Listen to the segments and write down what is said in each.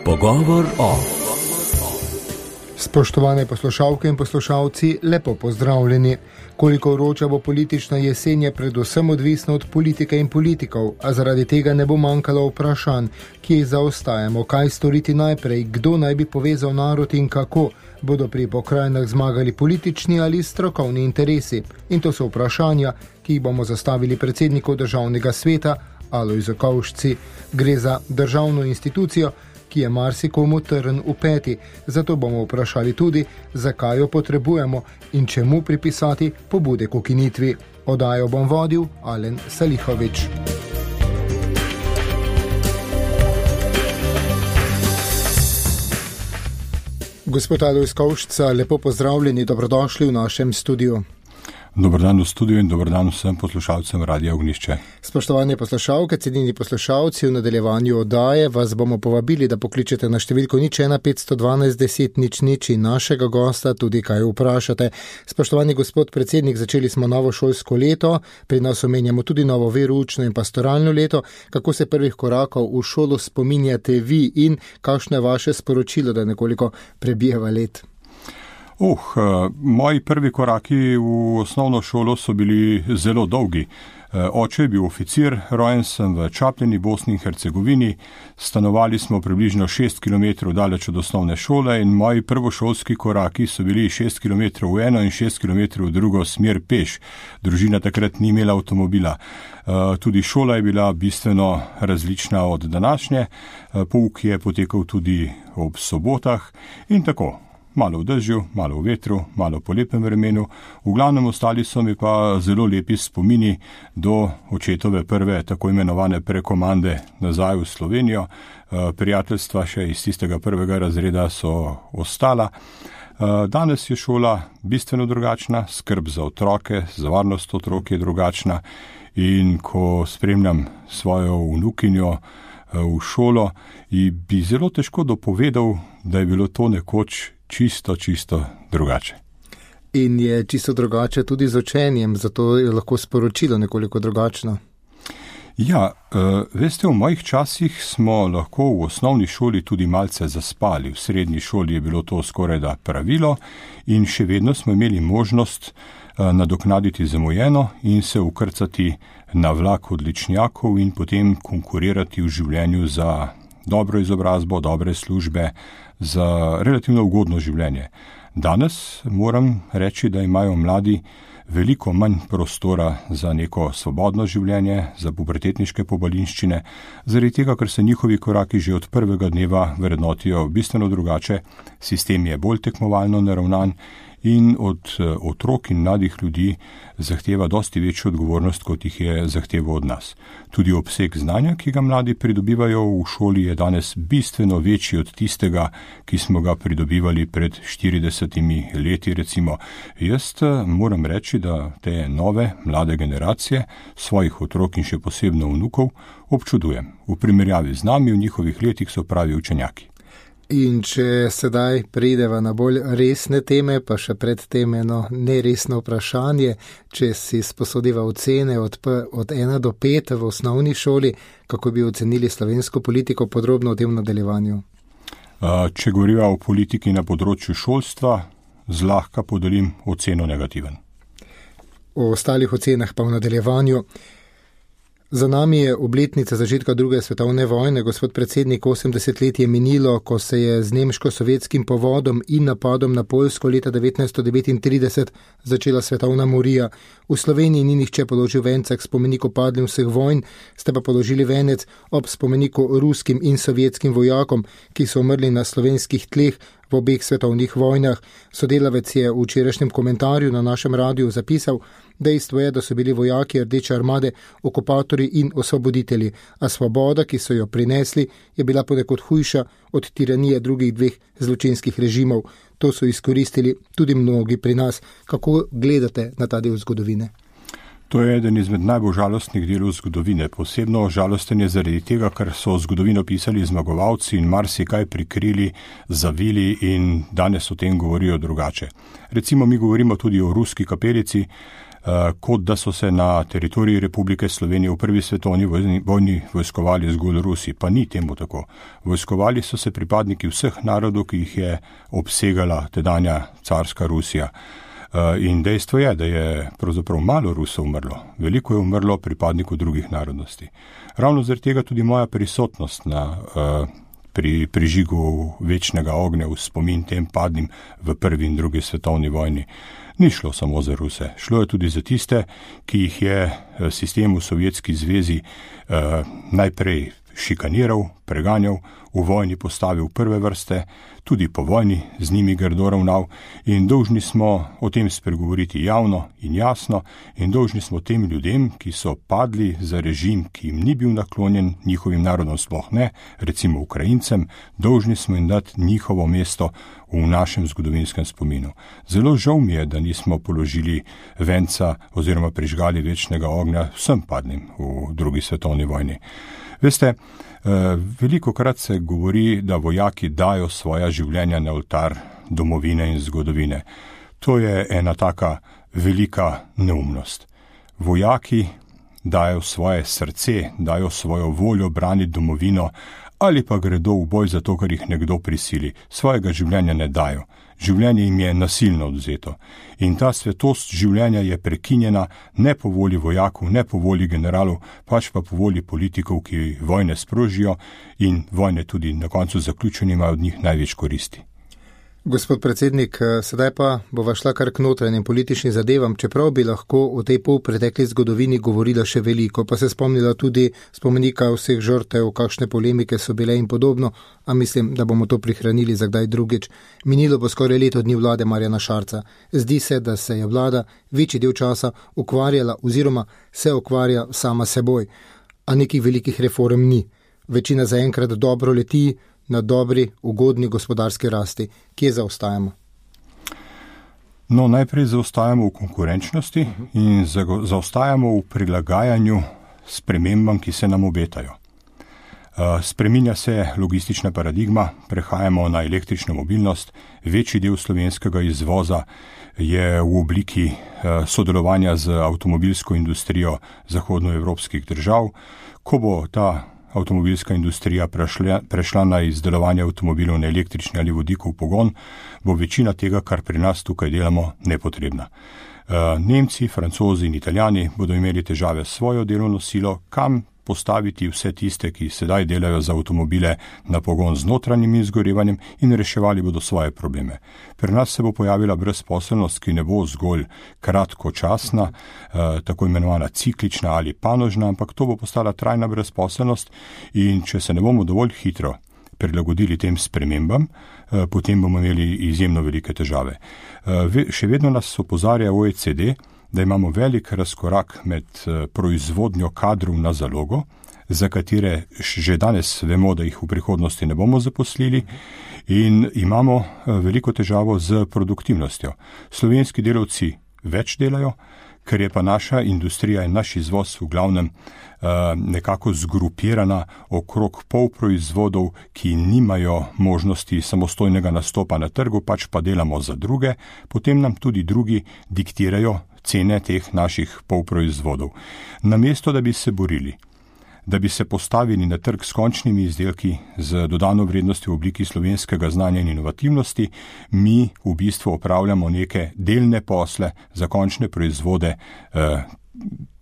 Pogovor o. Spoštovane poslušalke in poslušalci, lepo pozdravljeni. Koliko vroča bo politična jesen, je predvsem odvisno od politike in politikov, a zaradi tega ne bo manjkalo vprašanj, kje zaostajamo, kaj storiti najprej, kdo naj bi povezal narod in kako bodo pri pokrajinah zmagali politični ali strokovni interesi. In to so vprašanja, ki jih bomo zastavili predsedniku Državnega sveta Alojzu Kovšci. Gre za državno institucijo, ki je marsikomu trn v peti. Zato bomo vprašali tudi, zakaj jo potrebujemo in čemu pripisati pobude k ukinitvi. Oddajo bom vodil Alen Salihovič. Gospod Alojz Kovšca, lepo pozdravljeni, dobrodošli v našem studiu. Dobar dan v studiu in dobar dan vsem poslušalcem Radia Ognjišče. Spoštovane poslušalke, cenjeni poslušalci, v nadaljevanju oddaje vas bomo povabili, da pokličete na številko 01 512 10 00 in našega gosta tudi kaj vprašate. Spoštovani gospod predsednik, začeli smo novo šolsko leto, pri nas omenjamo tudi novo veroučno in pastoralno leto. Kako se prvih korakov v šolo spominjate vi in kakšno je vaše sporočilo, da nekoliko prebijeva let? Moji prvi koraki v osnovno šolo so bili zelo dolgi. Oče je bil oficir, rojen sem v Čapljini, Bosni in Hercegovini. Stanovali smo približno 6 km daleč od osnovne šole in moji prvošolski koraki so bili 6 km v eno in 6 km v drugo smer peš. Družina takrat ni imela avtomobila. Tudi šola je bila bistveno različna od današnje. Pouk je potekal tudi ob sobotah in tako. Malo v dežju, malo v vetru, malo po lepem vremenu. V glavnem ostali so mi pa zelo lepi spomini do očetove prve tako imenovane prekomande nazaj v Slovenijo. Prijateljstva še iz tistega prvega razreda so ostala. Danes je šola bistveno drugačna, skrb za otroke, za varnost otrok je drugačna in ko spremljam svojo vnukinjo v šolo, bi zelo težko dopovedal, da je bilo to nekoč čisto drugače. In je čisto drugače tudi z učenjem, zato je lahko sporočilo nekoliko drugačno. Ja, veste, v mojih časih smo lahko v osnovni šoli tudi malce zaspali. V srednji šoli je bilo to skorajda pravilo in še vedno smo imeli možnost nadoknaditi zamujeno in se ukrcati na vlak odličnjakov in potem konkurirati v življenju za dobro izobrazbo, dobre službe, za relativno ugodno življenje. Danes moram reči, da imajo mladi veliko manj prostora za neko svobodno življenje, za pubertetniške pobalinščine, zaradi tega, ker se njihovi koraki že od prvega dneva vrednotijo bistveno drugače, sistem je bolj tekmovalno naravnan in od otrok in mladih ljudi zahteva dosti večjo odgovornost, kot jih je zahteval od nas. Tudi obseg znanja, ki ga mladi pridobivajo v šoli, je danes bistveno večji od tistega, ki smo ga pridobivali pred 40 leti recimo. Jaz moram reči, da te nove, mlade generacije, svojih otrok in še posebno vnukov, občudujem. V primerjavi z nami v njihovih letih so pravi učenjaki. In če sedaj prideva na bolj resne teme, pa še pred tem eno neresno vprašanje, če si sposodiva ocene od 1 do 5 v osnovni šoli, kako bi ocenili slovensko politiko, podrobno v tem nadaljevanju? Če govoriva o politiki na področju šolstva, zlahka podelim oceno negativen. O ostalih ocenah pa v nadaljevanju. Za nami je obletnica začetka druge svetovne vojne. Gospod predsednik, 80 let je minilo, ko se je z nemško-sovjetskim povodom in napadom na Poljsko leta 1939 začela svetovna morija. V Sloveniji ni nihče položil venca k spomeniku padlim vseh vojn, ste pa položili venec ob spomeniku ruskim in sovjetskim vojakom, ki so umrli na slovenskih tleh v obeh svetovnih vojnah. Sodelavec je v včerajšnjem komentarju na našem radiju zapisal: dejstvo je, da so bili vojaki Rdeče armade okupatorji in osvoboditelji, a svoboda, ki so jo prinesli, je bila ponekod hujša od tiranije drugih dveh zločinskih režimov. To so izkoristili tudi mnogi pri nas. Kako gledate na ta del zgodovine? To je eden izmed najbolj žalostnih delov zgodovine. Posebno žalosten je zaradi tega, ker so zgodovino pisali zmagovalci in marsikaj prikrili, zavili in danes o tem govorijo drugače. Recimo mi govorimo tudi o ruski kapelici. kot da so se na teritoriji Republike Slovenije v prvi svetovni vojni vojskovali zgolj Rusi, pa ni temu tako. Vojskovali so se pripadniki vseh narodov, ki jih je obsegala tedanja carska Rusija. In dejstvo je, da je pravzaprav malo Rusov umrlo, veliko je umrlo pripadnikov drugih narodnosti. Ravno zaradi tega tudi moja prisotnost pri prižigu večnega ognja v spomin tem padlim v prvi in drugi svetovni vojni. Ni šlo samo za Ruse, šlo je tudi za tiste, ki jih je sistem v Sovjetski zvezi najprej šikaniral, preganjal, v vojni postavil prve vrste, tudi po vojni z njimi grdo ravnal in dolžni smo o tem spregovoriti javno in jasno in dolžni smo tem ljudem, ki so padli za režim, ki jim ni bil naklonjen, njihovim narodom sploh ne, recimo Ukrajincem, dolžni smo jim dati njihovo mesto v našem zgodovinskem spominu. Zelo žal mi je, da nismo položili venca oziroma prižgali večnega ognja vsem padlim v drugi svetovni vojni. Veste, veliko krat se govori, da vojaki dajo svoja življenja na oltar domovine in zgodovine. To je ena taka velika neumnost. Vojaki dajo svoje srce, dajo svojo voljo braniti domovino ali pa gredo v boj zato, ker jih nekdo prisili. Svojega življenja ne dajo. Življenje jim je nasilno odvzeto. In ta svetost življenja je prekinjena ne po volji vojakov, ne po volji generalov, pač pa po volji politikov, ki vojne sprožijo in vojne tudi na koncu zaključene imajo od njih največ koristi. Gospod predsednik, sedaj pa bova šla kar k notranjim političnim zadevam, čeprav bi lahko o tej polpretekli zgodovini govorila še veliko, pa se spomnila tudi spomenika vseh žrtev, kakšne polemike so bile in podobno, a mislim, da bomo to prihranili za kdaj drugič. Minilo bo skoraj leto dni vlade Marjana Šarca. Zdi se, da se je vlada večji del časa ukvarjala oziroma se ukvarja sama seboj, a nekih velikih reform ni. Večina zaenkrat dobro leti, na dobri, ugodni gospodarski rasti. Kje zaostajamo? No, najprej zaostajamo v konkurenčnosti in zaostajamo v prilagajanju spremembam, ki se nam obetajo. Spreminja se logistična paradigma, prehajamo na električno mobilnost, večji del slovenskega izvoza je v obliki sodelovanja z avtomobilsko industrijo zahodnoevropskih držav. Ko bo ta avtomobilska industrija prešla na izdelovanje avtomobilov na električni ali vodikov pogon, bo večina tega, kar pri nas tukaj delamo, nepotrebna. Nemci, Francozi in Italijani bodo imeli težave s svojo delovno silo, kam postaviti vse tiste, ki sedaj delajo za avtomobile na pogon z notranjim izgorevanjem in reševali bodo svoje probleme. Pri nas se bo pojavila brezposelnost, ki ne bo zgolj kratkočasna, tako imenovana ciklična ali panožna, ampak to bo postala trajna brezposelnost in če se ne bomo dovolj hitro prilagodili tem spremembam, potem bomo imeli izjemno velike težave. Še vedno nas opozarja OECD, da imamo velik razkorak med proizvodnjo kadrov na zalogo, za katere že danes vemo, da jih v prihodnosti ne bomo zaposlili, in imamo veliko težavo z produktivnostjo. Slovenski delavci več delajo, ker je pa naša industrija in naš izvoz v glavnem nekako zgrupirana okrog polproizvodov, ki nimajo možnosti samostojnega nastopa na trgu, pač pa delamo za druge, potem nam tudi drugi diktirajo cene teh naših polproizvodov. Namesto, da bi se borili, da bi se postavili na trg s končnimi izdelki z dodano vrednostjo v obliki slovenskega znanja in inovativnosti, mi v bistvu opravljamo neke delne posle za končne proizvode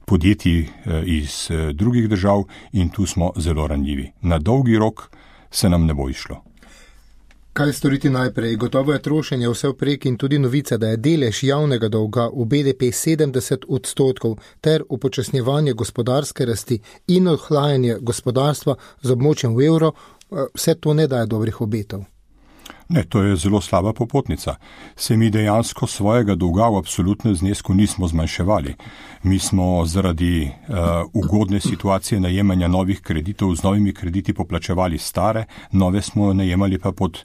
podjetij iz drugih držav in tu smo zelo ranljivi. Na dolgi rok se nam ne bo išlo. Kaj storiti najprej? Gotovo je trošenje vse vprek in tudi novica, da je delež javnega dolga v BDP 70% ter upočasnjevanje gospodarske rasti in ohlajanje gospodarstva z območjem v evro, vse to ne daje dobrih obetov. Ne, to je zelo slaba popotnica. Se mi dejansko svojega dolga v absolutnem znesku nismo zmanjševali. Mi smo zaradi ugodne situacije najemanja novih kreditov z novimi krediti poplačevali stare, nove smo najemali pa pod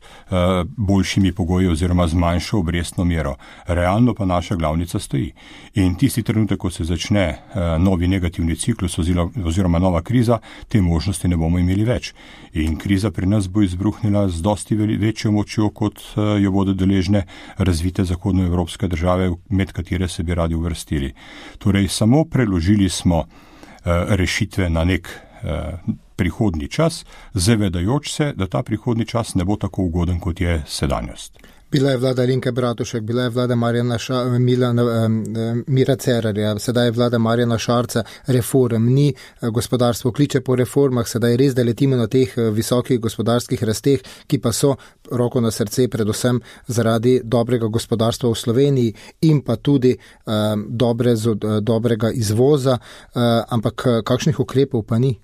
boljšimi pogoji oziroma z manjšo obrestno mero. Realno pa naša glavnica stoji. In tisti trenutek, ko se začne novi negativni ciklus oziroma nova kriza, te možnosti ne bomo imeli več. In kriza pri nas bo izbruhnila z dosti večjo močjo pomočjo, kot jo bodo deležne razvite zahodnoevropske države, med katere se bi radi uvrstili. Torej, samo preložili smo rešitve na nek prihodni čas, zavedajoč se, da ta prihodni čas ne bo tako ugoden, kot je sedanjost. Bila je vlada Alenke Bratušek, bila je vlada Mira Cerarja, sedaj je vlada Marjana Šarca, reform ni, gospodarstvo kliče po reformah, sedaj res, da letimo na teh visokih gospodarskih rasteh, ki pa so, roko na srce, predvsem zaradi dobrega gospodarstva v Sloveniji in pa tudi dobrega izvoza, ampak kakšnih ukrepov pa ni?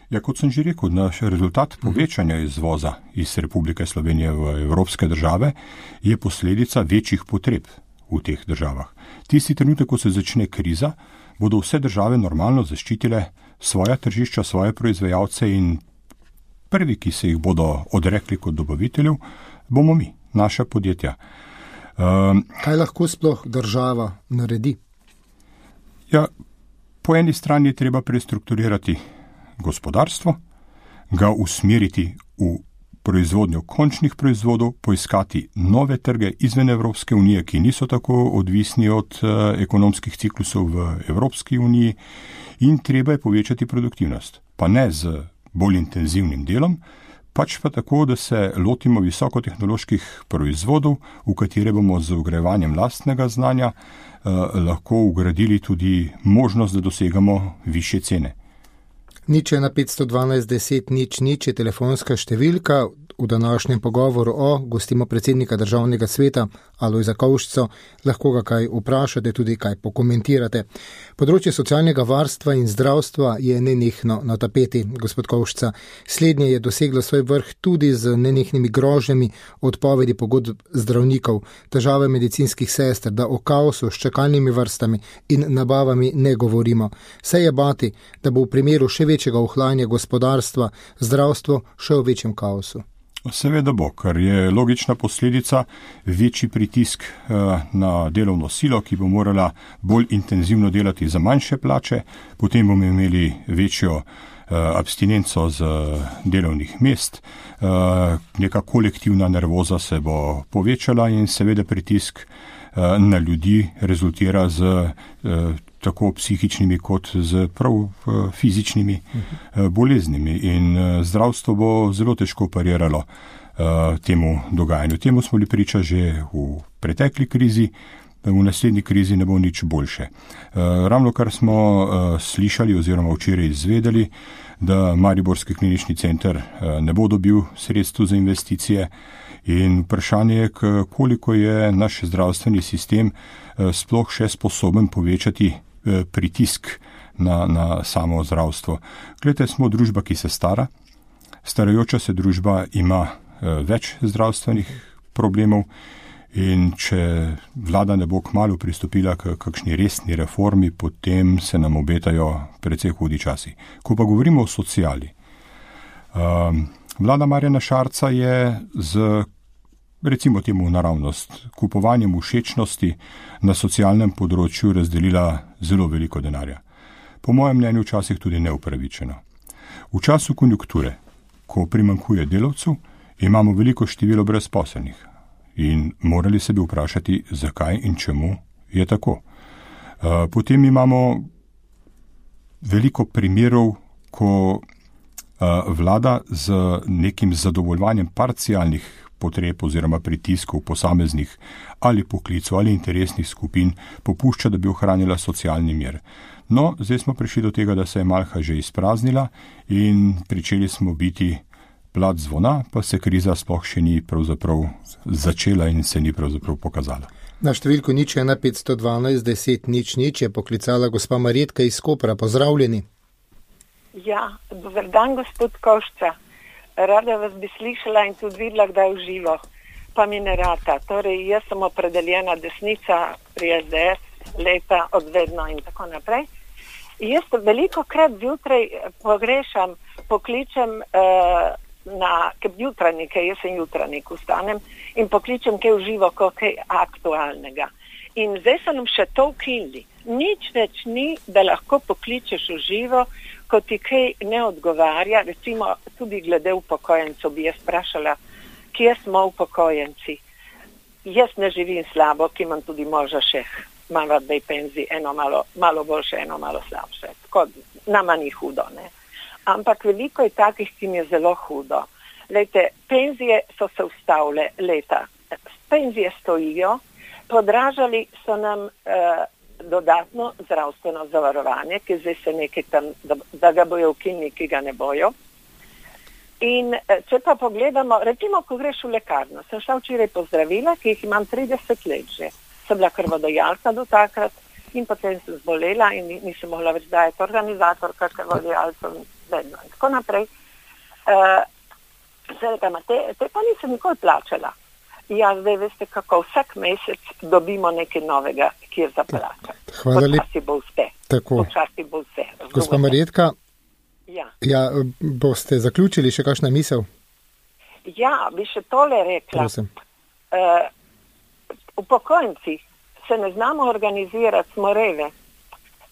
Ja, kot sem že rekel, naš rezultat povečanja izvoza iz Republike Slovenije v evropske države je posledica večjih potreb v teh državah. Tisti trenutek, ko se začne kriza, bodo vse države normalno zaščitile svoja tržišča, svoje proizvajalce in prvi, ki se jih bodo odrekli kot dobaviteljev, bomo mi, naša podjetja. Kaj lahko sploh država naredi? Ja, po eni strani je treba prestrukturirati gospodarstvo, ga usmeriti v proizvodnjo končnih proizvodov, poiskati nove trge izven Evropske unije, ki niso tako odvisni od ekonomskih ciklusov v Evropski uniji, in treba je povečati produktivnost. Pa ne z bolj intenzivnim delom, pač pa tako, da se lotimo visokotehnoloških proizvodov, v katere bomo z vgrajevanjem lastnega znanja lahko ugradili tudi možnost, da dosegamo višje cene. 0:1 512 10 0 je telefonska številka. V današnjem pogovoru gostimo predsednika Državnega sveta Alojza Kovšco, lahko ga kaj vprašate, tudi kaj pokomentirate. Področje socialnega varstva in zdravstva je nenehno na tapeti, gospod Kovšca. Slednje je doseglo svoj vrh tudi z nenehnimi grožnjami odpovedi pogodb zdravnikov, težave medicinskih sester, da o kaosu s čakalnimi vrstami in nabavami ne govorimo. Se je bati, da bo v primeru še večjega ohlajanja gospodarstva zdravstvo še v večjem kaosu. Seveda bo, ker je logična posledica večji pritisk na delovno silo, ki bo morala bolj intenzivno delati za manjše plače, potem bomo imeli večjo abstinenco z delovnih mest, neka kolektivna nervoza se bo povečala in seveda pritisk na ljudi rezultira z tako psihičnimi kot z prav fizičnimi boleznimi in zdravstvo bo zelo težko pariralo temu dogajanju. Temu smo bili priča že v pretekli krizi, v naslednji krizi ne bo nič boljše. Ravno kar smo slišali oziroma včeraj izvedeli, da Mariborski klinični center ne bo dobil sredstev za investicije in vprašanje je, koliko je naš zdravstveni sistem sploh še sposoben povečati pritisk na samo zdravstvo. Glede, smo družba, ki se stara, starajoča se družba ima več zdravstvenih problemov in če vlada ne bo kmalu pristopila k kakšni resni reformi, potem se nam obetajo precej hudi časi. Ko pa govorimo o sociali, vlada Marjana Šarca je z, recimo temu naravnost, kupovanjem všečnosti na socialnem področju razdelila zelo veliko denarja. Po mojem mnenju včasih tudi neupravičeno. V času konjunkture, ko primanjkuje delavcev, imamo veliko število brezposelnih in morali se bi vprašati, zakaj in čemu je tako. Potem imamo veliko primerov, ko vlada z nekim zadovoljevanjem parcialnih potreb oziroma pritiskov posameznih ali poklicov ali interesnih skupin popušča, da bi ohranila socialni mir. No, zdaj smo prišli do tega, da se je malha že izpraznila in pričeli smo biti plat zvona, pa se kriza sploh še ni pravzaprav začela in se ni pravzaprav pokazala. Na številko 0:1 512 10 0 je poklicala gospa Marjetka iz Kopra. Pozdravljeni. Ja, dober dan, gospod Kovšca. Rada vas bi slišala in tudi videla, kdaj v živo, pa mi ne rata. Torej, jaz sem opredeljena desnica pri SDS leta odvedno in tako naprej. Jaz veliko krat zjutraj pogrešam, pokličem jutranike, jaz sem jutranjik, vstanem in pokličem kaj v živo, kaj aktualnega. In zdaj so nam še to ukinili. Nič več ni, da lahko pokličeš v živo, ko ti kaj ne odgovarja, recimo tudi glede upokojencev bi jaz vprašala, kje smo upokojenci. Jaz ne živim slabo, ki imam tudi moža še malo dej penzij, eno malo boljše, eno malo slabše. Tako, nama ni hudo, ne. Ampak veliko je takih, ki mi je zelo hudo. Lejte, penzije so se ustavile leta. Penzije stojijo, podražali so nam dodatno zdravstveno zavarovanje, ki zdaj se nekaj tam, da ga bojo ukinili, ki ga ne bojo. In če pa pogledamo, recimo, ko greš v lekarno, sem šla včeraj po zdravila, ki jih imam 30 let že. Sem bila krvodajalka do takrat in potem sem zbolela in nisem mogla več dajati organizatorka krvodajalcev vedno in tako naprej. Te pa nisem nikoli plačala. Ja, zdaj veste kako, vsak mesec dobimo nekaj novega, kjer za plačati. Počasi bo vse. Počasi bo vse. Gospa Marjetka, ja, boste zaključili še kakšna misel? Ja, bi še tole rekla. Prosim. Upokojenci se ne znamo organizirati, smo reve.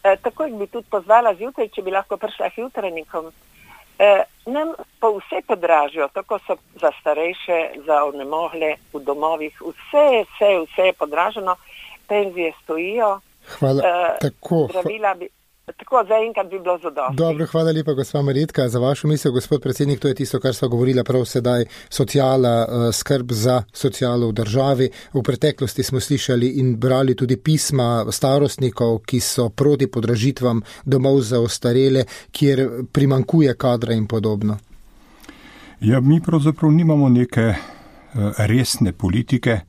Tako bi tudi pozvala zjutraj, če bi lahko prišla k jutrajnikom. Nam pa vse podražijo, tako so za starejše, za onemogle v domovih, vse je podraženo, penzije stojijo. Hvala. Zdravila tako zaenkrat bi bilo zadosti. Dobro, hvala lepa, gospa Marjetka, za vašo misel, gospod predsednik, to je tisto, kar sva govorila prav sedaj, sociala, skrb za socialo v državi. V preteklosti smo slišali in brali tudi pisma starostnikov, ki so proti podražitvam domov za ostarele, kjer primankuje kadra in podobno. Ja, mi pravzaprav nimamo neke resne politike,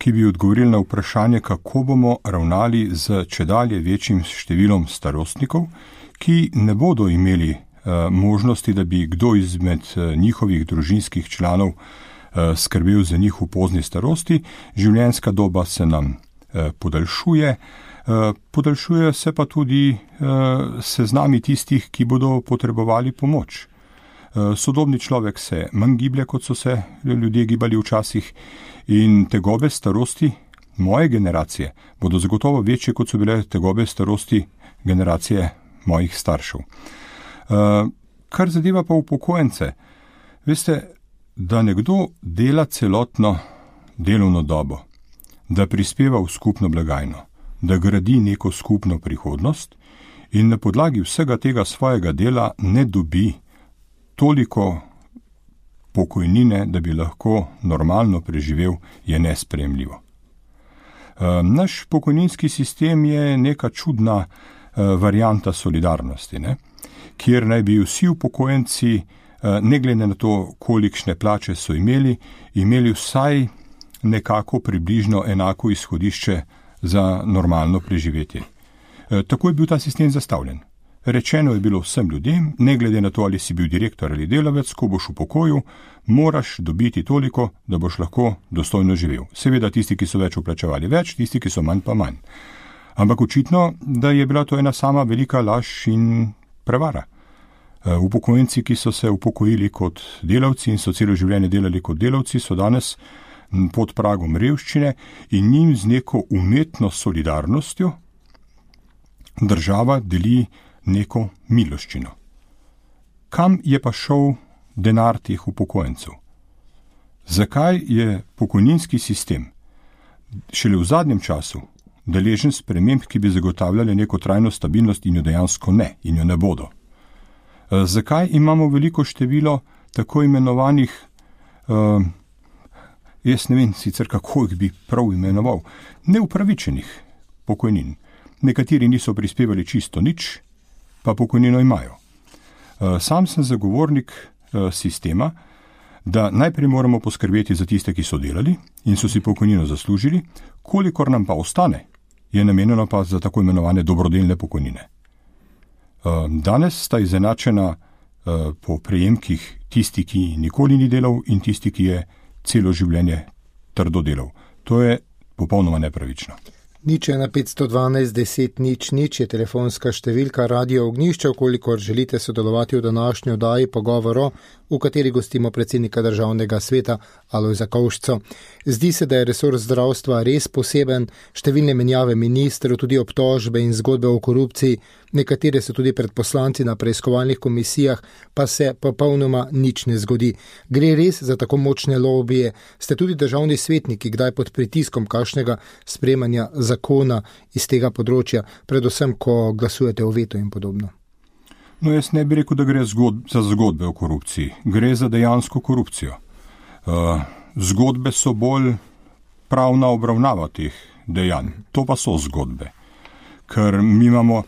ki bi odgovorili na vprašanje, kako bomo ravnali z čedalje večjim številom starostnikov, ki ne bodo imeli možnosti, da bi kdo izmed njihovih družinskih članov skrbel za njih v pozni starosti. Življenjska doba se nam podaljšuje, podaljšuje se pa tudi seznami tistih, ki bodo potrebovali pomoč. Sodobni človek se manj giblje, kot so se ljudje gibali včasih, in tegobe starosti moje generacije bodo zagotovo večje, kot so bile tegobe starosti generacije mojih staršev. Kar zadeva pa upokojence, veste, da nekdo dela celotno delovno dobo, da prispeva v skupno blagajno, da gradi neko skupno prihodnost in na podlagi vsega tega svojega dela ne dobi toliko pokojnine, da bi lahko normalno preživel, je nesprejemljivo. Naš pokojninski sistem je neka čudna varianta solidarnosti, ne? Kjer naj bi vsi upokojenci, ne glede na to, kolikšne plače so imeli vsaj nekako približno enako izhodišče za normalno preživetje. Tako je bil ta sistem zastavljen. Rečeno je bilo vsem ljudem, ne glede na to, ali si bil direktor ali delavec, ko boš v pokoju, moraš dobiti toliko, da boš lahko dostojno živel. Seveda tisti, ki so več vplačevali več, tisti, ki so manj pa manj. Ampak očitno, da je bila to ena sama velika laž in prevara. Upokojenci, ki so se upokojili kot delavci in so celo življenje delali kot delavci, so danes pod pragom revščine in njim z neko umetno solidarnostjo država deli neko miloščino. Kam je pa šel denar teh upokojencev? Zakaj je pokojninski sistem šele v zadnjem času deležen sprememb, ki bi zagotavljali neko trajno stabilnost in jo dejansko ne, in jo ne bodo? Zakaj imamo veliko število tako imenovanih, jaz ne vem sicer kako jih bi prav imenoval, neupravičenih pokojnin? Nekateri niso prispevali čisto nič, pa pokojnino imajo. Sam sem zagovornik sistema, da najprej moramo poskrbeti za tiste, ki so delali in so si pokojnino zaslužili, kolikor nam pa ostane, je namenjeno pa za tako imenovane dobrodelne pokojnine. Danes sta izenačena po prejemkih tisti, ki nikoli ni delal in tisti, ki je celo življenje trdo delal. To je popolnoma nepravično. Nič 1 512 10 0 je telefonska številka Radio Ognjišče, ukolikor želite sodelovati v današnji oddaji pogovoru, v kateri gostimo predsednika Državnega sveta Alojza Kovšco. Zdi se, da je resurs zdravstva res poseben, številne menjave ministrov, tudi obtožbe in zgodbe o korupciji, nekatere so tudi pred poslanci na preiskovalnih komisijah, pa se popolnoma nič ne zgodi. Gre res za tako močne lobije? Ste tudi državni svetniki kdaj pod pritiskom kakšnega sprejemanja zakona iz tega področja, predvsem, ko glasujete o vetu in podobno? No, jaz ne bi rekel, da gre za zgodbe o korupciji. Gre za dejansko korupcijo. Zgodbe so bolj pravna obravnava teh dejanj. To pa so zgodbe. Ker mi imamo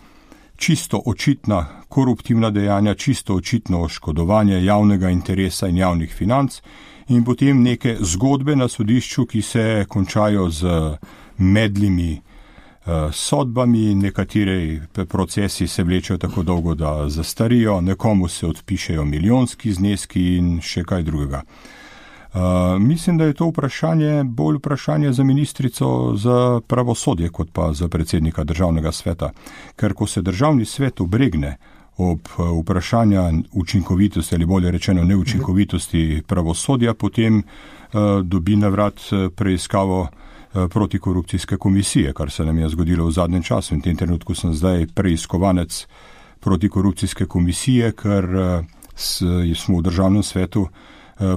čisto očitna koruptivna dejanja, čisto očitno oškodovanje javnega interesa in javnih financ in potem neke zgodbe na sodišču, ki se končajo z medlimi sodbami, nekateri procesi se vlečejo tako dolgo, da zastarijo, nekomu se odpišejo milijonski zneski in še kaj drugega. Mislim, da je to bolj vprašanje za ministrico za pravosodje, kot pa za predsednika Državnega sveta. Ker ko se Državni svet obregne ob vprašanja učinkovitosti ali bolje rečeno neučinkovitosti pravosodja, potem dobi na vrat preiskavo protikorupcijske komisije, kar se nam je zgodilo v zadnjem času. In v tem trenutku sem zdaj preiskovanec protikorupcijske komisije, ker smo v Državnem svetu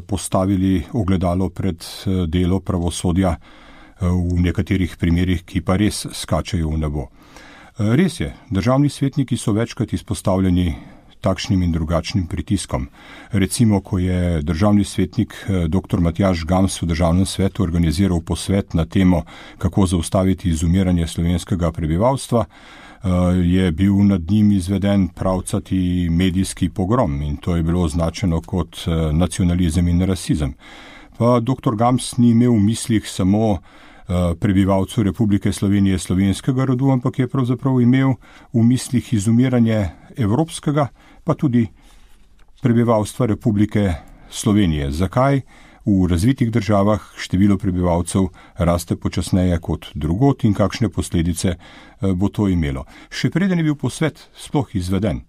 postavili ogledalo pred delo pravosodja v nekaterih primerih, ki pa res skačejo v nebo. Res je, državni svetniki so večkrat izpostavljeni takšnim in drugačnim pritiskom. Recimo, ko je državni svetnik dr. Matjaž Gams v Državnem svetu organiziral posvet na temo, kako zaustaviti izumiranje slovenskega prebivalstva, je bil nad njim izveden pravcati medijski pogrom in to je bilo označeno kot nacionalizem in rasizem. Pa dr. Gams ni imel v mislih samo prebivalcev Republike Slovenije slovenskega rodu, ampak je pravzaprav imel v mislih izumiranje evropskega, pa tudi prebivalstva Republike Slovenije. Zakaj v razvitih državah število prebivalcev raste počasneje kot drugot in kakšne posledice bo to imelo? Še preden je bil posvet sploh izveden,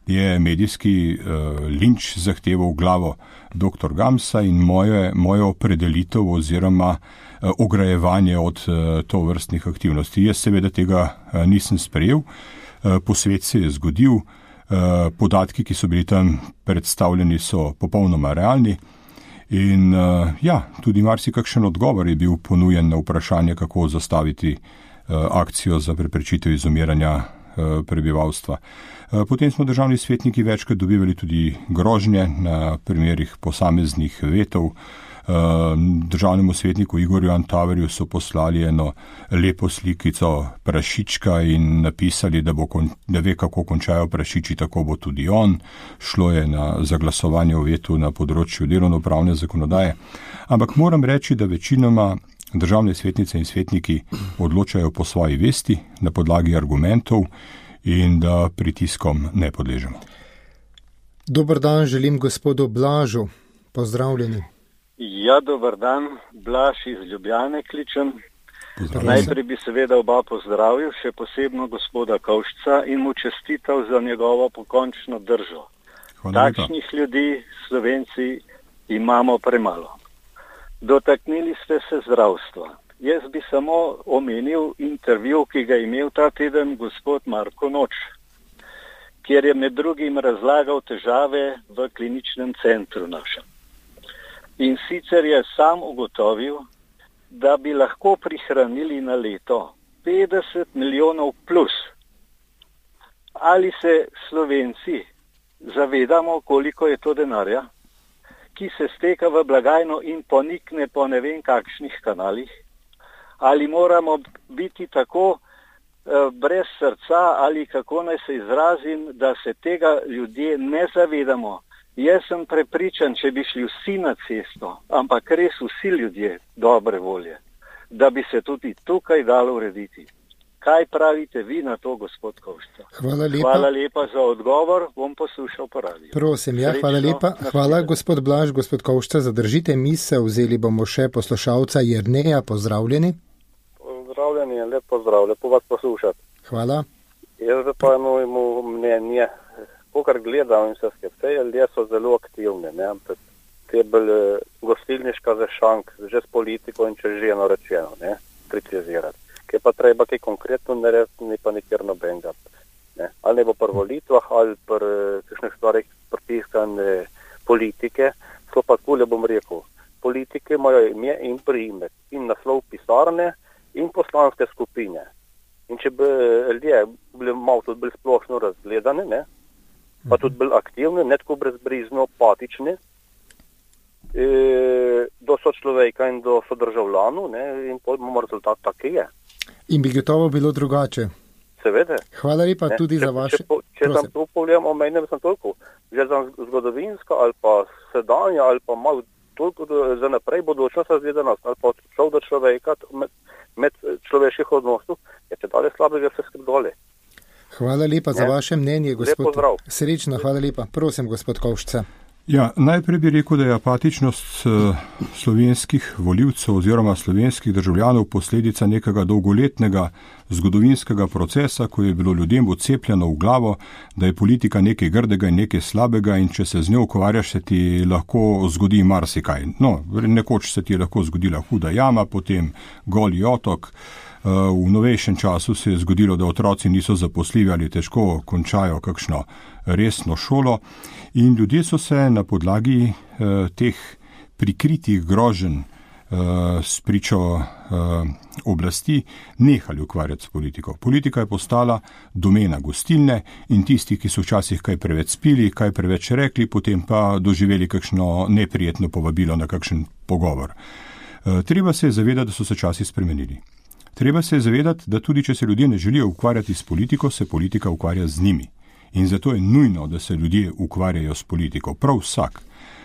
je medijski linč zahteval glavo dr. Gamsa in mojo opredelitev oziroma ograjevanje od tovrstnih aktivnosti. Jaz seveda tega nisem sprejel, posvet se je zgodil, podatki, ki so bili tam predstavljeni, so popolnoma realni in tudi marsikakšen odgovor je bil ponujen na vprašanje, kako zastaviti akcijo za preprečitev izumiranja prebivalstva. Potem smo državni svetniki večkrat dobivali tudi grožnje na primerih posameznih vetov. Državnemu svetniku Igorju Antaverju so poslali eno lepo slikico prašička in napisali, da ve, kako končajo prašiči, tako bo tudi on. Šlo je za glasovanje o vetu na področju delovnopravne zakonodaje. Ampak moram reči, da večinoma državne svetnice in svetniki odločajo po svoji vesti, na podlagi argumentov in da pritiskom ne podležemo. Dober dan, želim gospodu Blažu. Pozdravljeni. Ja, dober dan, Blaž iz Ljubljane kličem. Najprej bi seveda oba pozdravil, še posebno gospoda Kovšca in mu čestital za njegovo pokončno držo. Takšnih ljudi Slovenci imamo premalo. Dotaknili ste se zdravstva. Jaz bi samo omenil intervju, ki ga je imel ta teden gospod Marko Noč, kjer je med drugim razlagal težave v kliničnem centru našem. In sicer je sam ugotovil, da bi lahko prihranili na leto 50 milijonov plus. Ali se Slovenci zavedamo, koliko je to denarja, ki se steka v blagajno in ponikne po ne vem kakšnih kanalih? Ali moramo biti tako brez srca ali kako naj se izrazim, da se tega ljudje ne zavedamo? Jaz sem prepričan, če bi šli vsi na cesto, ampak res vsi ljudje dobre volje, da bi se tudi tukaj dalo urediti. Kaj pravite vi na to, gospod Kovšca? Hvala lepa za odgovor, bom poslušal po radiju. Prosim, hvala lepa. Hvala, gospod Blaž, gospod Kovšca, zadržite misel, vzeli bomo še poslušalca Jerneja, pozdravljeni. Pozdravljeni in lep pozdrav, lepo vas poslušati. Hvala. Jaz pa imamo mnenje, pokar gledam in vse ljudje so zelo aktivni, ne, ampak te bolj gostilniška zešank, že s politiko in če ženo rečeno, ne, kritizirati. Kaj pa treba kaj konkretno narediti, ni pa nikjer nobenega. Ne. Ali ne bo pri volitvah, ali pri kakšnih stvarih pritiskane politike, so pa takole bom rekel. Politike imajo ime in priimek in naslov pisarne in poslanske skupine. In če bi ljudje bili malo tudi bolj splošno razgledani, ne, pa tudi bolj aktivni, ne tako brezbrizno, apatični, do sočloveka in do sodržavljanov, ne, in potem imamo rezultat tak, je. In bi gotovo bilo drugače. Seveda. Hvala lepa ne, tudi za vaše... Če sem to povljam, omenjam sem toliko, že za zgodovinska ali pa sedanja ali pa malo toliko za naprej bodočnost razgledanost ali pa šel do človeka med človeških odnosov, je če dalje slabega vse skrb dole. Hvala lepa za vaše mnenje, gospod. Lep pozdrav. Srečno, hvala lepa. Prosim, gospod Kovšca. Ja, najprej bi rekel, da je apatičnost slovenskih volivcev oziroma slovenskih državljanov posledica nekega dolgoletnega zgodovinskega procesa, ko je bilo ljudem vcepljeno v glavo, da je politika nekaj grdega in nekaj slabega in če se z njo ukvarjaš, se ti lahko zgodi marsikaj. No, nekoč se ti je lahko zgodila huda jama, potem Goli otok. V novejšem času se je zgodilo, da otroci niso zaposljivi ali težko končajo kakšno resno šolo in ljudje so se na podlagi teh prikritih groženj s pričo oblasti nehali ukvarjati s politiko. Politika je postala domena gostilne in tisti, ki so včasih kaj preveč spili, kaj preveč rekli, potem pa doživeli kakšno neprijetno povabilo na kakšen pogovor. Treba se je zavedati, da so se časi spremenili. Treba se je zavedati, da tudi če se ljudje ne želijo ukvarjati s politiko, se politika ukvarja z njimi. In zato je nujno, da se ljudje ukvarjajo s politiko. Prav vsak.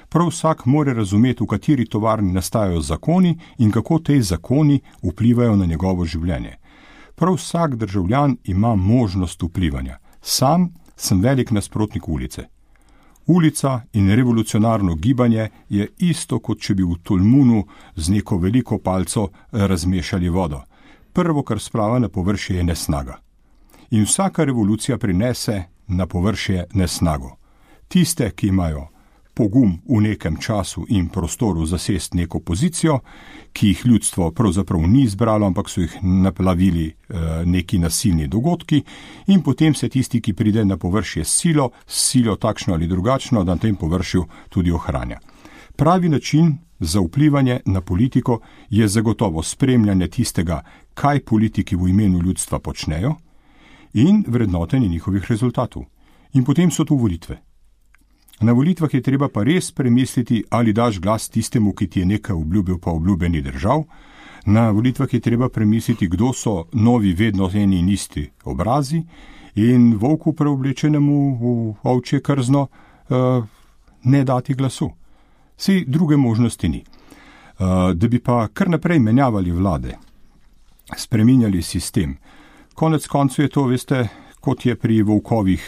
Prav vsak mora razumeti, v kateri tovarni nastajajo zakoni in kako te zakoni vplivajo na njegovo življenje. Prav vsak državljan ima možnost vplivanja. Sam sem velik nasprotnik ulice. Ulica in revolucionarno gibanje je isto, kot če bi v Tolmunu z neko veliko palco razmešali vodo. Prvo, kar splava na površje, je nesnaga. In vsaka revolucija prinese na površje nesnago. Tiste, ki imajo pogum v nekem času in prostoru zasesti neko pozicijo, ki jih ljudstvo pravzaprav ni izbralo, ampak so jih naplavili neki nasilni dogodki in potem se tisti, ki pride na površje s silo takšno ali drugačno, da na tem površju tudi ohranja. Pravi način za vplivanje na politiko je zagotovo spremljanje tistega, kaj politiki v imenu ljudstva počnejo in vrednotenje njihovih rezultatov. In potem so tu volitve. Na volitvah je treba pa res premisliti, ali daš glas tistemu, ki ti je nekaj obljubil, pa obljube ni držal. Na volitvah je treba premisliti, kdo so novi vedno eni in isti obrazi in volku preoblečenemu v ovčje krzno ne dati glasu. Saj druge možnosti ni. Da bi pa kar naprej menjavali vlade, spreminjali sistem. Konec koncev je to, veste, kot je pri volkovih,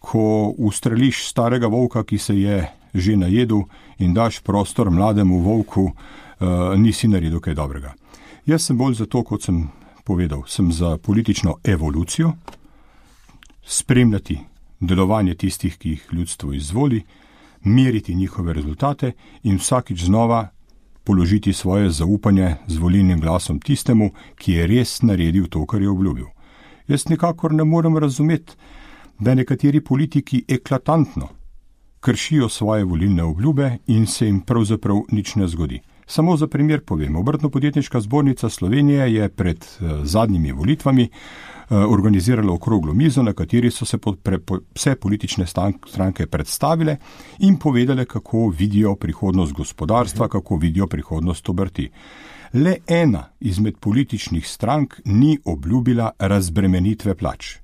ko ustreliš starega volka, ki se je že najedel in daš prostor mlademu volku, nisi naredil kaj dobrega. Jaz sem bolj za to, kot sem povedal, sem za politično evolucijo, spremljati delovanje tistih, ki jih ljudstvo izvoli, meriti njihove rezultate in vsakič znova položiti svoje zaupanje z volilnim glasom tistemu, ki je res naredil to, kar je obljubil. Jaz nikakor ne morem razumeti, da nekateri politiki eklatantno kršijo svoje volilne obljube in se jim pravzaprav nič ne zgodi. Samo za primer povem, Obrtno-podjetniška zbornica Slovenije je pred zadnjimi volitvami organizirala okroglo mizo, na kateri so se vse politične stranke predstavile in povedale, kako vidijo prihodnost gospodarstva, kako vidijo prihodnost obrti. Le ena izmed političnih strank ni obljubila razbremenitve plač.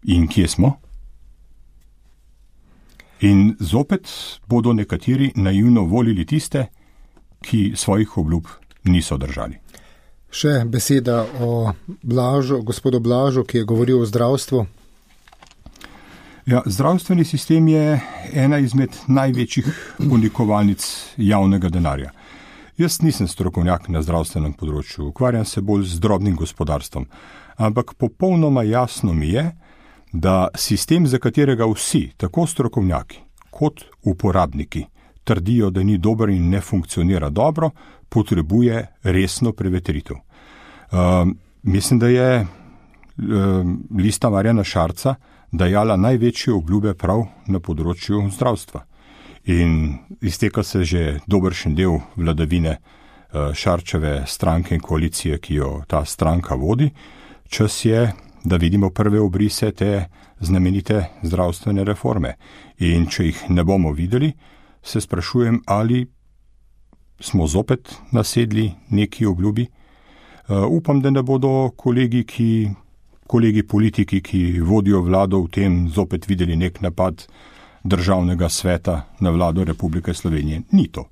In kje smo? In zopet bodo nekateri naivno volili tiste, ki svojih obljub niso držali. Še beseda o gospodu Blažu, ki je govoril o zdravstvu. Ja, zdravstveni sistem je ena izmed največjih unikovalnic javnega denarja. Jaz nisem strokovnjak na zdravstvenem področju, ukvarjam se bolj z drobnim gospodarstvom, ampak popolnoma jasno mi je, da sistem, za katerega vsi, tako strokovnjaki kot uporabniki, trdijo, da ni dober in ne funkcionira dobro, potrebuje resno prevetritev. Mislim, da je Lista Marjana Šarca dajala največje obljube prav na področju zdravstva. In izteka se že dobršen del vladavine Šarčeve stranke in koalicije, ki jo ta stranka vodi. Čas je, da vidimo prve obrise te znamenite zdravstvene reforme. In če jih ne bomo videli, se sprašujem, ali smo zopet nasedli neki obljubi. Upam, da ne bodo kolegi politiki, ki vodijo vlado v tem, zopet videli nek napad Državnega sveta na vlado Republike Slovenije. Ni to.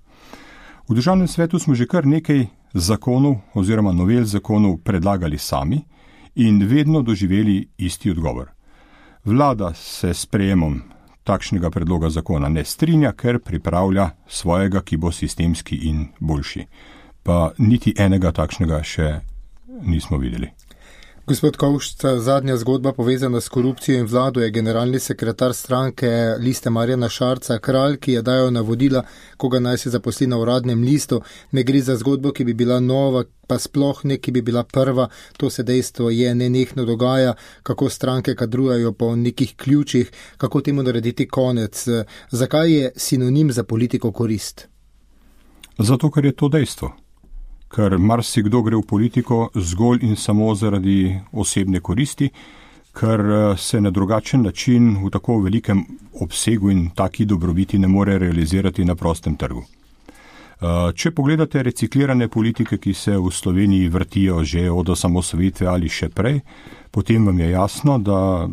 V Državnem svetu smo že kar nekaj zakonov oziroma novel zakonov predlagali sami in vedno doživeli isti odgovor. Vlada se s sprejemom takšnega predloga zakona ne strinja, ker pripravlja svojega, ki bo sistemski in boljši. Pa niti enega takšnega še nismo videli. Gospod Kovšca, zadnja zgodba povezana s korupcijo in vlado je generalni sekretar stranke Liste Marjana Šarca Kralj, ki je dajal navodila, koga naj se zaposli na uradnem listu. Ne gre za zgodbo, ki bi bila nova, pa sploh ne, ki bi bila prva. To se dejstvo je nenehno dogaja, kako stranke kadrujajo po nekih ključih, kako temu narediti konec. Zakaj je sinonim za politiko korist? Zato, ker je to dejstvo. Ker marsikdo gre v politiko zgolj in samo zaradi osebne koristi, ker se na drugačen način v tako velikem obsegu in taki dobrobiti ne more realizirati na prostem trgu. Če pogledate reciklirane politike, ki se v Sloveniji vrtijo že od osamosvojitve ali še prej, potem vam je jasno, da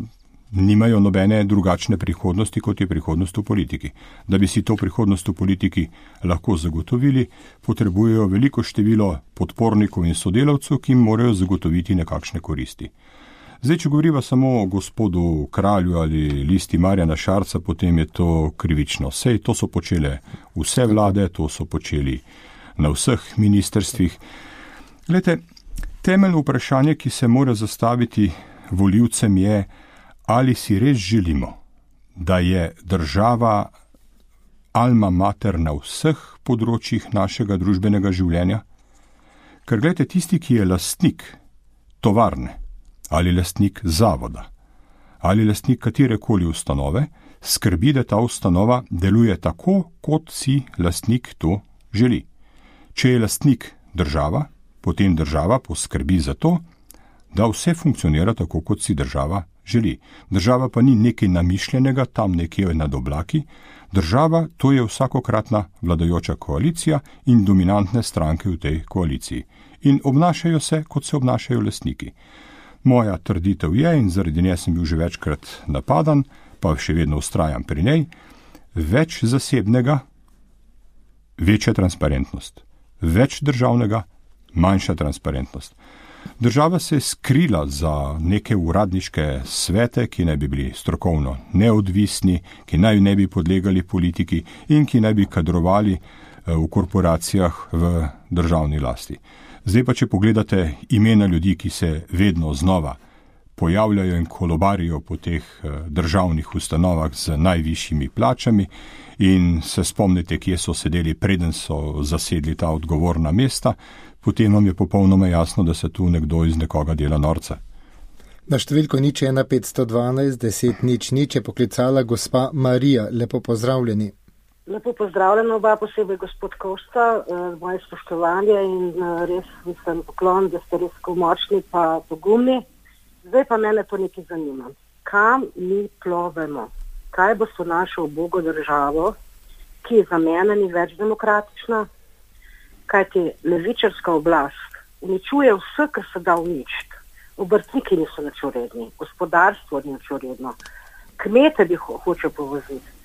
nimajo nobene drugačne prihodnosti, kot je prihodnost v politiki. Da bi si to prihodnost v politiki lahko zagotovili, potrebujejo veliko število podpornikov in sodelavcev, ki jim morajo zagotoviti nekakšne koristi. Zdaj, če govoriva samo o gospodu Kralju ali Listi Marjana Šarca, potem je to krivično. Sej to so počele vse vlade, to so počeli na vseh ministrstvih. Glejte, temeljno vprašanje, ki se mora zastaviti volivcem je, ali si res želimo, da je država alma mater na vseh področjih našega družbenega življenja? Ker gledajte, tisti, ki je lastnik tovarne ali lastnik zavoda ali lastnik katerekoli ustanove, skrbi, da ta ustanova deluje tako, kot si lastnik to želi. Če je lastnik država, potem država poskrbi za to, da vse funkcionira tako, kot si država želi. Država pa ni nekaj namišljenega, tam nekje nad oblaki. Država, to je vsakokratna vladajoča koalicija in dominantne stranke v tej koaliciji. In obnašajo se, kot se obnašajo lastniki. Moja trditev je, in zaradi nje sem bil že večkrat napadan, pa še vedno vztrajam pri njej, več zasebnega, večja transparentnost. Več državnega, manjša transparentnost. Država se je skrila za neke uradniške svete, ki naj bi bili strokovno neodvisni, ki naj ne bi podlegali politiki in ki naj bi kadrovali v korporacijah v državni lasti. Zdaj pa, če pogledate imena ljudi, ki se vedno znova pojavljajo in kolobarijo po teh državnih ustanovah z najvišjimi plačami in se spomnite, kje so sedeli, preden so zasedli ta odgovorna mesta, potem vam je popolnoma jasno, da se tu nekdo iz nekoga dela norca. Na številko 01512 10 00 je poklicala gospa Marija. Lepo pozdravljeni. Lepo pozdravljeno oba, posebej gospod Kovšca, moje spoštovanje in res mislim poklon, da ste res močni pa pogumni. Zdaj pa mene to nekaj zanima. Kam mi plovemo? Kaj bo s našo ubogo državo, ki za mene ni več demokratična? Kajti levičarska oblast uničuje vse, kar se da uničiti. Obrtniki niso nič uredni, gospodarstvo ni nič uredno, kmete bi hoče povoziti.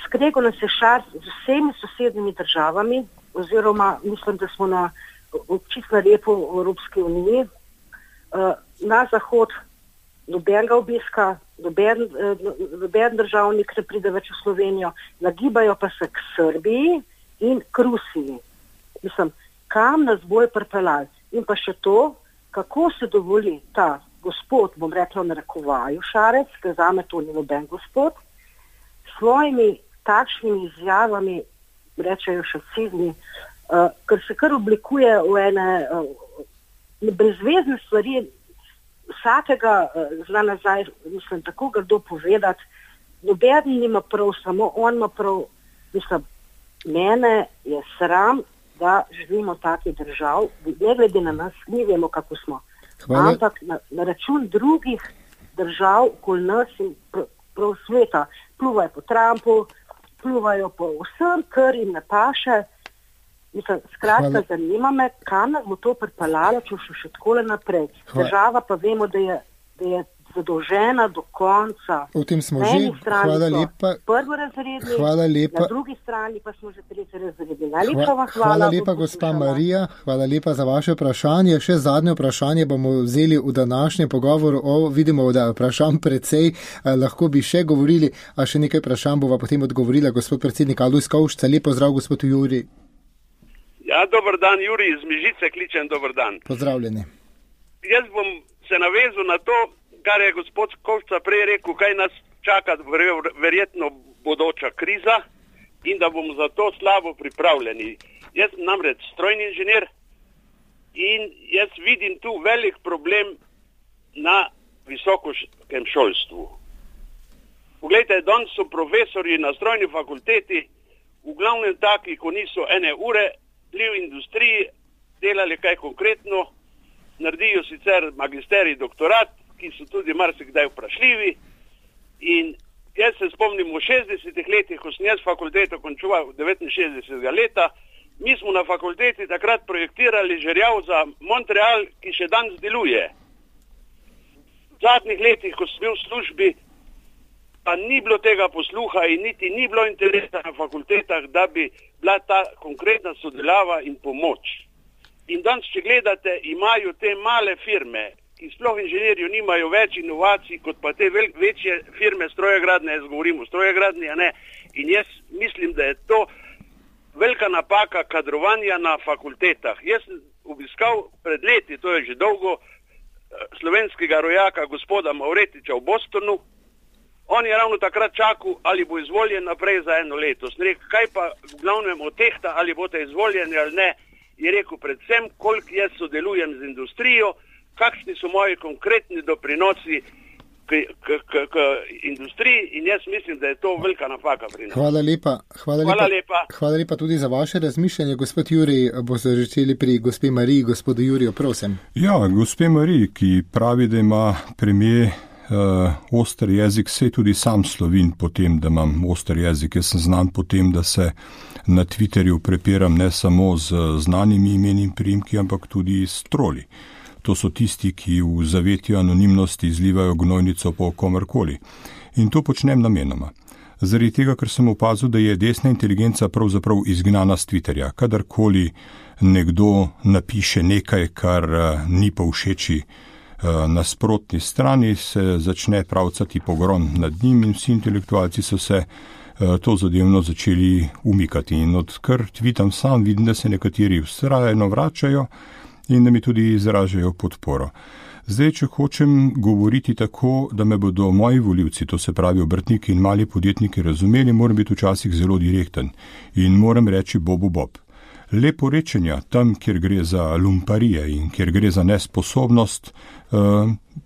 Skregal nas je šar z vsemi sosednjimi državami, oziroma mislim, da smo na čisto na repu v Evropski uniji. Na zahod nobenega obiska, noben državnik ne pride več v Slovenijo, nagibajo pa se k Srbiji in k Rusiji. Mislim, kam nas bojo pripeljali. In pa še to, kako se dovoli ta gospod, bom rekla v narekovaju Šarec, ker zame to ni noben gospod, svojimi takšnimi izjavami, rečejo šacizmi, ker se kar oblikuje v ene brezvezne stvari, vsakega zna nazaj, mislim, tako grdo povedati, noben nima prav, samo on ima prav. Mislim, mene je sram, da živimo v takih držav, ne glede na nas, mi vemo, kako smo. Hvala. Ampak na račun drugih držav, okoli nas in prav sveta, pluvajo po Trumpu, pluvajo po vsem, kar jim ne paše. Mislim, skratka, zanima me, kam nas bo to pripeljalo, če še takole naprej. Država pa vemo, da je zadolžena do konca. V tem smo že. Hvala lepa. Prvorazredni, na drugi strani pa smo že tretjerazredni. Hvala lepa, gospa Marija. Hvala lepa za vaše vprašanje. Še zadnje vprašanje bomo vzeli v današnjem pogovoru. Vidimo, da vprašanj precej, lahko bi še govorili, a še nekaj vprašanj bova potem odgovorila gospod predsednik Alojz Kovšca. Lep pozdrav, gospod Juri. Ja, dober dan, Juri iz Mežice kličem, dober dan. Pozdravljeni. Jaz bom se navezal na to, kar je gospod Kovšca prej rekel, kaj nas čaka verjetno bodoča kriza in da bomo za to slabo pripravljeni. Jaz sem namreč strojni inženir in jaz vidim tu velik problem na visokem šolstvu. Poglejte, danes so profesorji na strojni fakulteti v glavnem taki, ko niso ene ure, bili v industriji, delali kaj konkretno, naredijo sicer magisterij, doktorat, ki so tudi marsikdaj vprašljivi. In jaz se spomnim v 60-ih letih, ko sem jaz fakulteto končal 69. leta, mi smo na fakulteti takrat projektirali žerjav za Montreal, ki še danes deluje. V zadnjih letih, ko sem bil v službi, pa ni bilo tega posluha in niti ni bilo interesa na fakultetah, da bi bila ta konkretna sodelava in pomoč. In danes, če gledate, imajo te male firme, ki sploh inženirju nimajo več inovacij, kot pa te večje firme strojegradne, jaz govorim o strojegradni, a ne. In jaz mislim, da je to velika napaka kadrovanja na fakultetah. Jaz sem obiskal pred leti, to je že dolgo, slovenskega rojaka gospoda Mavretiča v Bostonu. On je ravno takrat čakal, ali bo izvoljen naprej za 1 leto. Sem rekel, kaj pa v glavnem otehta, ali boste izvoljeni ali ne, je rekel predvsem, koliko jaz sodelujem z industrijo, kakšni so moji konkretni doprinosi k industriji in jaz mislim, da je to velika napaka pri nas. Hvala lepa tudi za vaše razmišljanje. Gospod Juri, boste začeli pri gospe Mariji, gospodu Juriju, prosim. Ja, gospe Mariji, ki pravi, da ima premijer oster jezik, se tudi sam slovim po tem, da imam oster jezik. Jaz sem znan po tem, da se na Twitterju prepiram ne samo z znanimi imeni in priimki, ampak tudi s troli. To so tisti, ki v zavetju anonimnosti izlivajo gnojnico po komerkoli. In to počnem namenoma. Zaradi tega, ker sem opazil, da je desna inteligenca pravzaprav izgnana z Twitterja. Kadarkoli nekdo napiše nekaj, kar ni povšeči nasprotni strani, se začne pravcati pogrom nad njim in vsi intelektualci so se to zadevno začeli umikati. In odkar tweetam sam, vidim, da se nekateri vztrajno vračajo in da mi tudi izražajo podporo. Zdaj, če hočem govoriti tako, da me bodo moji volivci, to se pravi obrtniki in mali podjetniki, razumeli, moram biti včasih zelo direkten in moram reči bobu bob. Leporečenja tam, kjer gre za lumparije in kjer gre za nesposobnost,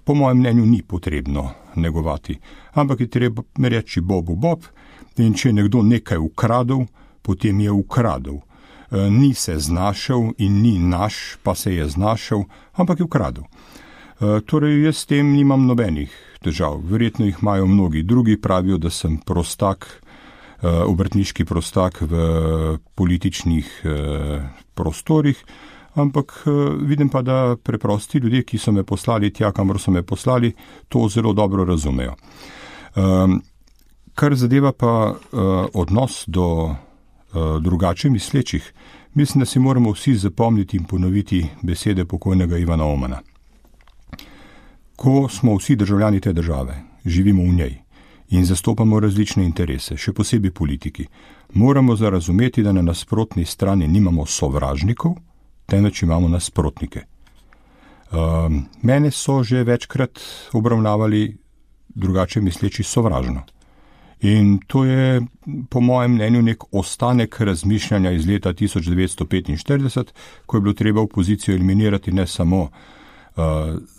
po mojem mnenju ni potrebno negovati. Ampak je treba reči bobu bob in če je nekdo nekaj ukradel, potem je ukradel. Ni se znašel in ni naš, pa se je znašel, ampak je ukradel. Torej, jaz s tem nimam nobenih težav. Verjetno jih imajo mnogi drugi, pravijo, da sem prostak, obrtniški prostak v političnih prostorih, ampak vidim pa, da preprosti ljudje, ki so me poslali tja, kamor so me poslali, to zelo dobro razumejo. Kar zadeva pa odnos do drugače mislečih, mislim, da si moramo vsi zapomniti in ponoviti besede pokojnega Ivana Omana. Ko smo vsi državljani te države, živimo v njej in zastopamo različne interese, še posebej politiki. Moramo zarazumeti, da na nasprotni strani nimamo sovražnikov, temveč imamo nasprotnike. Mene so že večkrat obravnavali drugače misleči sovražno. In to je po mojem mnenju nek ostanek razmišljanja iz leta 1945, ko je bilo treba opozicijo eliminirati ne samo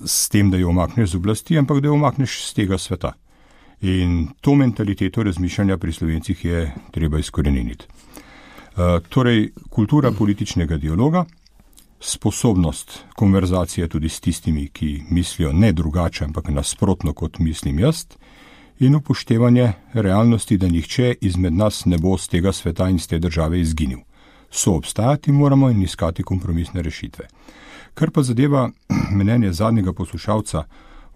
s tem, da jo omakneš z oblasti, ampak da jo omakneš z tega sveta. In to mentaliteto razmišljanja pri Slovencih je treba izkoreniniti. Torej, kultura političnega dialoga, sposobnost konverzacije tudi s tistimi, ki mislijo ne drugače, ampak nasprotno kot mislim jaz, in upoštevanje realnosti, da nihče izmed nas ne bo z tega sveta in z te države izginil. Soobstajati moramo in iskati kompromisne rešitve. Kar pa zadeva mnenje zadnjega poslušalca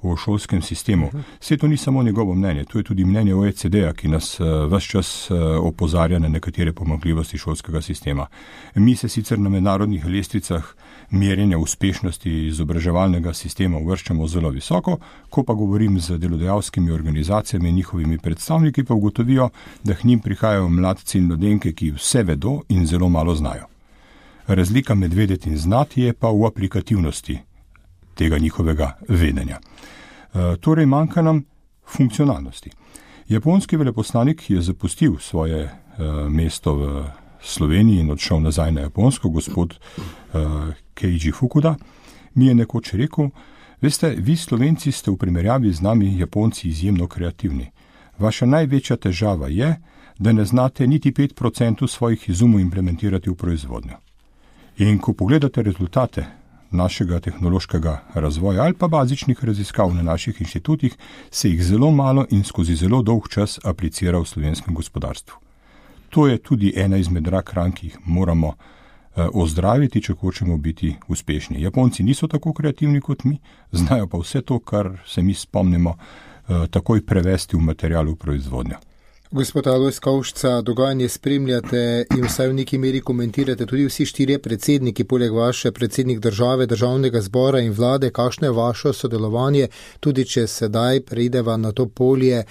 o šolskem sistemu, vse to ni samo njegovo mnenje, to je tudi mnenje OECD-a, ki nas ves čas opozarja na nekatere pomanjkljivosti šolskega sistema. Mi se sicer na mednarodnih lestvicah merjenja uspešnosti izobraževalnega sistema uvrščamo zelo visoko, ko pa govorim z delodajalskimi organizacijami in njihovimi predstavniki, pa ugotovijo, da k njim prihajajo mladci in mladenke, ki vse vedo in zelo malo znajo. Razlika med vedeti in znati je pa v aplikativnosti tega njihovega vedenja. Torej manjka nam funkcionalnosti. Japonski veleposlanik je zapustil svoje mesto v Sloveniji in odšel nazaj na Japonsko, gospod Keiji Fukuda, mi je nekoč rekel, veste, vi Slovenci ste v primerjavi z nami Japonci izjemno kreativni. Vaša največja težava je, da ne znate niti 5% svojih izumov implementirati v proizvodnjo. In ko pogledate rezultate našega tehnološkega razvoja ali pa bazičnih raziskav na naših inštitutih, se jih zelo malo in skozi zelo dolg čas aplicira v slovenskem gospodarstvu. To je tudi ena izmed rak ran, ki jih moramo ozdraviti, če hočemo biti uspešni. Japonci niso tako kreativni kot mi, znajo pa vse to, kar se mi spomnimo, takoj prevesti v material v proizvodnjo. Gospod Alojz Kovšca, dogajanje spremljate in vsaj v neki meri komentirate tudi vsi štirje predsedniki, poleg vaše predsednik države, državnega zbora in vlade. Kakšno je vaše sodelovanje, tudi če sedaj preideva na to polje,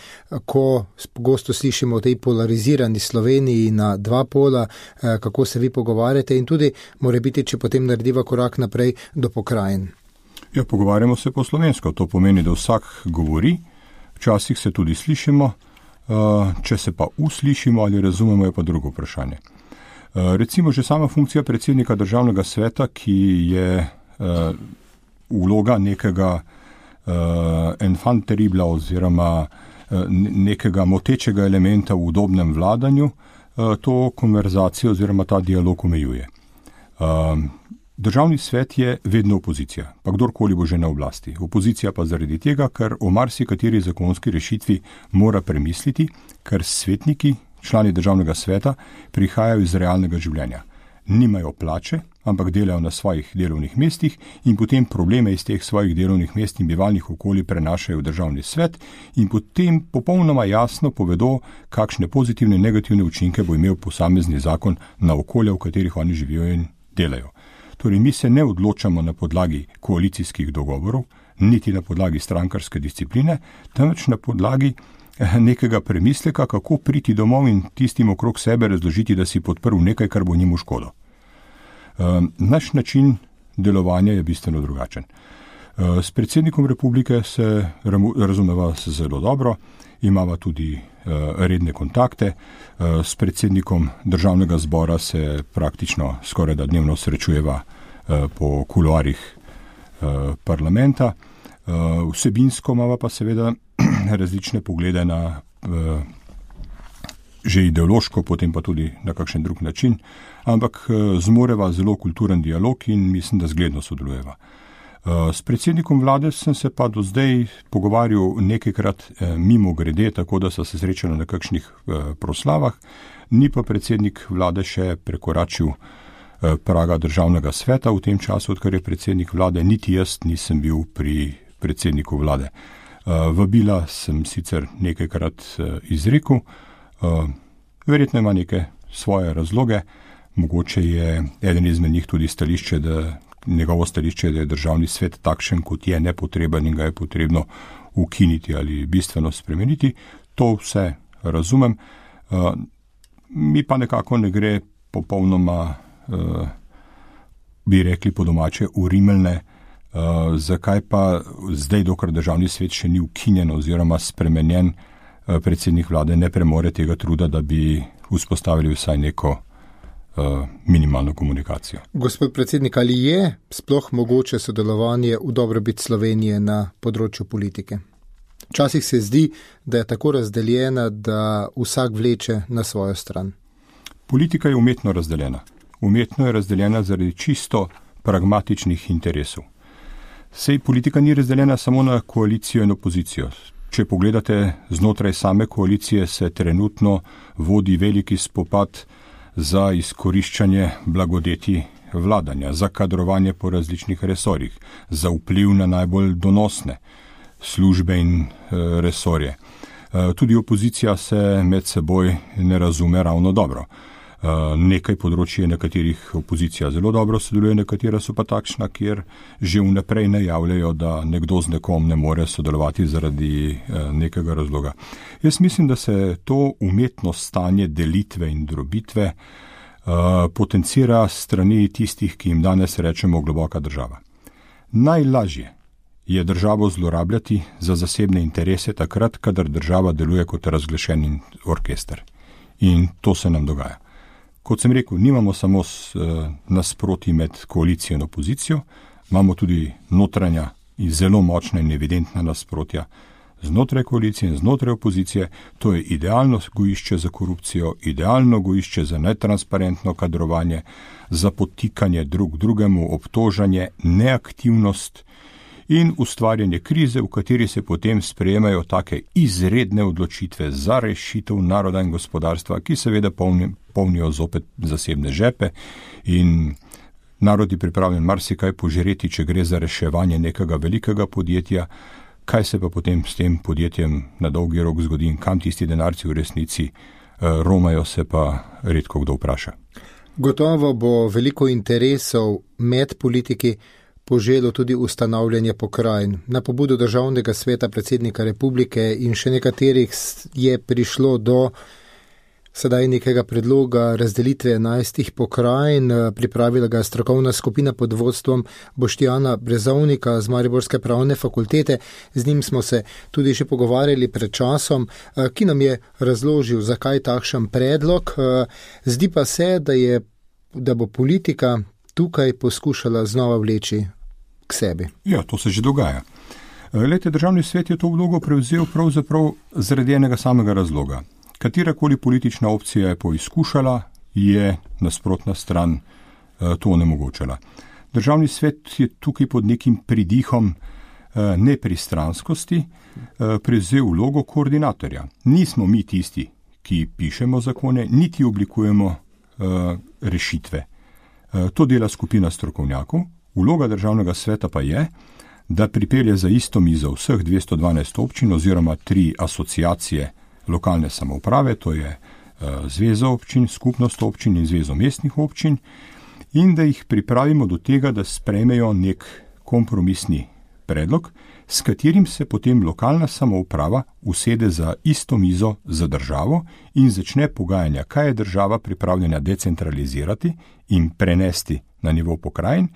ko pogosto slišimo o tej polarizirani Sloveniji na dva pola, kako se vi pogovarjate in tudi more biti, če potem narediva korak naprej do pokrajin. Ja, pogovarjamo se po slovensko, to pomeni, da vsak govori, včasih se tudi slišimo, če se pa uslišimo ali razumemo, je pa drugo vprašanje. Recimo že sama funkcija predsednika državnega sveta, ki je vloga nekega enfant terrible oziroma nekega motečega elementa v udobnem vladanju, to konverzacijo oziroma ta dialog omejuje. Državni svet je vedno opozicija, pa kdorkoli bo že na oblasti. Opozicija pa zaradi tega, ker o marsikateri zakonski rešitvi mora premisliti, ker svetniki, člani državnega sveta, prihajajo iz realnega življenja. Nimajo plače, ampak delajo na svojih delovnih mestih in potem probleme iz teh svojih delovnih mest in bivalnih okolij prenašajo v državni svet in potem popolnoma jasno povedo, kakšne pozitivne in negativne učinke bo imel posamezni zakon na okolje, v katerih oni živijo in delajo. Torej, mi se ne odločamo na podlagi koalicijskih dogovorov, niti na podlagi strankarske discipline, temveč na podlagi nekega premisleka, kako priti domov in tistim okrog sebe razložiti, da si podprl nekaj, kar bo njim v škodo. Naš način delovanja je bistveno drugačen. S predsednikom republike se razumeva zelo dobro, imava tudi redne kontakte, s predsednikom državnega zbora se praktično skoraj da dnevno srečujeva po kuloarjih parlamenta. Vsebinsko imava pa seveda različne poglede na že ideološko, potem pa tudi na kakšen drug način, ampak zmoreva zelo kulturen dialog in mislim, da zgledno sodelujeva. S predsednikom vlade sem se pa do zdaj pogovarjal nekajkrat mimo grede, tako da so se srečali na kakšnih proslavah, ni pa predsednik vlade še prekoračil praga državnega sveta v tem času, odkar je predsednik vlade, niti jaz nisem bil pri predsedniku vlade. Vabila sem sicer nekajkrat izrekel, verjetno ima neke svoje razloge, mogoče je eden izmed njih tudi stališče, njegovo stališče, da je državni svet takšen, kot je, nepotreben in ga je potrebno ukiniti ali bistveno spremeniti. To vse razumem, mi pa nekako ne gre popolnoma, bi rekli po domače, urimelne, zakaj pa zdaj, dokler državni svet še ni ukinjen oziroma spremenjen, predsednik vlade ne premore tega truda, da bi vzpostavili vsaj neko minimalno komunikacijo. Gospod predsednik, ali je sploh mogoče sodelovanje v dobrobit Slovenije na področju politike? Včasih se zdi, da je tako razdeljena, da vsak vleče na svojo stran. Politika je umetno razdeljena. Umetno je razdeljena zaradi čisto pragmatičnih interesov. Sej politika ni razdeljena samo na koalicijo in opozicijo. Če pogledate znotraj same koalicije, se trenutno vodi veliki spopad za izkoriščanje blagodeti vladanja, za kadrovanje po različnih resorjih, za vpliv na najbolj donosne službe in resorje. Tudi opozicija se med seboj ne razume ravno dobro. Nekaj področji, na katerih opozicija zelo dobro sodeluje, nekatera so pa takšna, kjer že vnaprej najavljajo, da nekdo z nekom ne more sodelovati zaradi nekega razloga. Jaz mislim, da se to umetno stanje delitve in drobitve potencira strani tistih, ki jim danes rečemo globoka država. Najlažje je državo zlorabljati za zasebne interese takrat, kadar država deluje kot razglašen orkester. In to se nam dogaja. Kot sem rekel, nimamo samo nasproti med koalicijo in opozicijo, imamo tudi notranja in zelo močna in evidentna nasprotja znotraj koalicije in znotraj opozicije. To je idealno gojišče za korupcijo, idealno gojišče za netransparentno kadrovanje, za podtikanje drug drugemu, obtožanje, neaktivnost in ustvarjanje krize, v kateri se potem sprejemajo take izredne odločitve za rešitev naroda in gospodarstva, ki seveda polnijo zopet zasebne žepe in narod je pripravljen marsikaj požreti, če gre za reševanje nekega velikega podjetja. Kaj se pa potem s tem podjetjem na dolgi rok zgodi in kam tisti denarci v resnici romajo, se pa redko kdo vpraša. Gotovo bo veliko interesov med politiki poželo tudi ustanavljanje pokrajin. Na pobudo Državnega sveta predsednika republike in še nekaterih je prišlo do sedaj nekega predloga razdelitve 11 pokrajin. Pripravila ga strokovna skupina pod vodstvom Boštjana Brezovnika z Mariborske pravne fakultete. Z njim smo se tudi že pogovarjali pred časom, ki nam je razložil, zakaj takšen predlog. Zdi pa se, da bo politika tukaj poskušala znova vleči k sebi. Ja, to se že dogaja. Glejte, Državni svet je to vlogo prevzel pravzaprav zaradi enega samega razloga. Katerakoli politična opcija je poizkušala, je nasprotna stran to onemogočala. Državni svet je tukaj pod nekim pridihom nepristranskosti prevzel vlogo koordinatorja. Nismo mi tisti, ki pišemo zakone, niti oblikujemo rešitve. To dela skupina strokovnjakov. Vloga Državnega sveta pa je, da pripelje za isto mizo vseh 212 občin oziroma 3 asociacije lokalne samouprave, to je Zveza občin, Skupnost občin in Zvezo mestnih občin, in da jih pripravimo do tega, da sprejmejo nek kompromisni predlog, s katerim se potem lokalna samouprava usede za isto mizo za državo in začne pogajanja, kaj je država pripravljena decentralizirati in prenesti na nivo pokrajin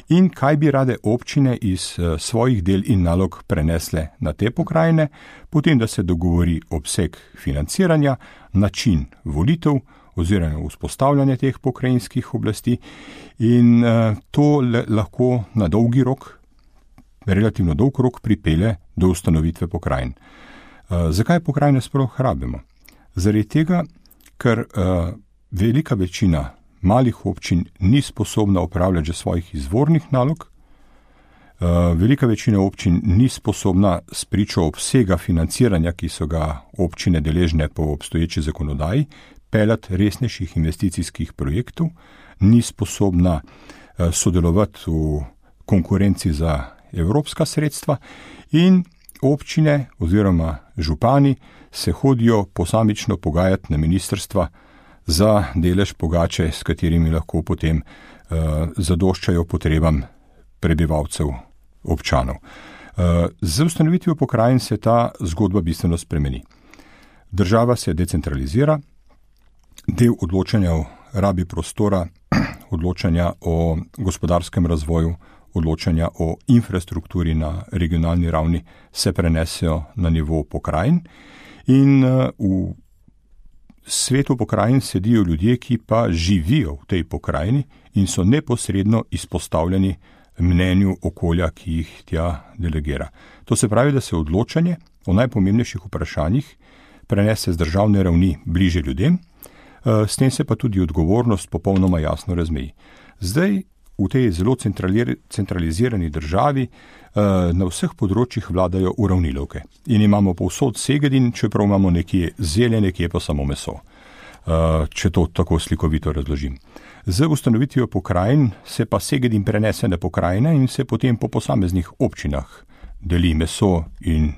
in kaj bi rade občine iz svojih del in nalog prenesle na te pokrajine, potem da se dogovori obseg financiranja, način volitev oziroma vzpostavljanje teh pokrajinskih oblasti in to lahko na dolgi rok, relativno dolg rok pripelje do ustanovitve pokrajin. Zakaj pokrajine sploh rabimo? Zaradi tega, ker velika večina malih občin ni sposobna upravljati že svojih izvornih nalog, velika večina občin ni sposobna spričo obsega financiranja, ki so ga občine deležne po obstoječi zakonodaji, peljati resnejših investicijskih projektov, ni sposobna sodelovati v konkurenci za evropska sredstva in občine oziroma župani se hodijo posamično pogajati na ministrstva za delež pogače, s katerimi lahko potem zadoščajo potrebam prebivalcev, občanov. Z ustanovitvijo pokrajin se ta zgodba bistveno spremeni. Država se decentralizira, del odločanja o rabi prostora, odločanja o gospodarskem razvoju, odločanja o infrastrukturi na regionalni ravni se prenesejo na nivo pokrajin in v svetu pokrajin sedijo ljudje, ki pa živijo v tej pokrajini in so neposredno izpostavljeni mnenju okolja, ki jih tja delegira. To se pravi, da se odločanje o najpomembnejših vprašanjih prenese z državne ravni bliže ljudem, s tem se pa tudi odgovornost popolnoma jasno razmeji. Zdaj v tej zelo centralizirani državi na vseh področjih vladajo uravnilovke in imamo povsod Segedin, čeprav imamo nekje zelje, nekje pa samo meso, če to tako slikovito razložim. Z ustanovitvijo pokrajin se pa Segedin prenese na pokrajine in se potem po posameznih občinah deli meso in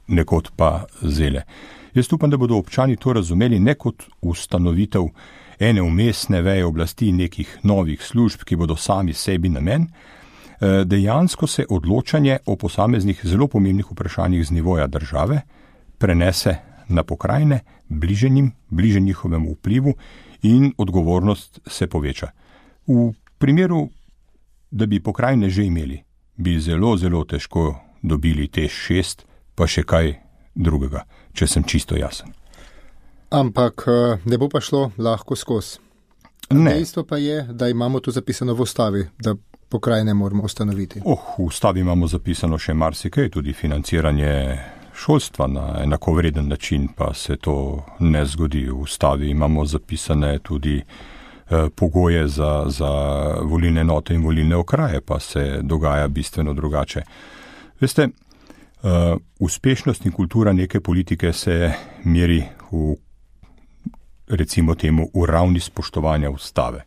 nekod pa zelje. Jaz upam, da bodo občani to razumeli ne kot ustanovitev ene umestne veje oblasti nekih novih služb, ki bodo sami sebi namen. Dejansko se odločanje o posameznih zelo pomembnih vprašanjih z nivoja države prenese na pokrajine, bliže njihovemu vplivu in odgovornost se poveča. V primeru, da bi pokrajine že imeli, bi zelo, zelo težko dobili TEŠ 6, pa še kaj drugega, če sem čisto jasen. Ampak ne bo pa šlo lahko skozi. Dejstvo pa je, da imamo tu zapisano v ustavi, da pokrajine moramo ustanoviti. V ustavi imamo zapisano še marsikaj, tudi financiranje šolstva na enakovreden način, pa se to ne zgodi. V ustavi imamo zapisane tudi pogoje za volilne enote in volilne okraje, pa se dogaja bistveno drugače. Veste, uspešnost in kultura neke politike se meri recimo temu v ravni spoštovanja ustave.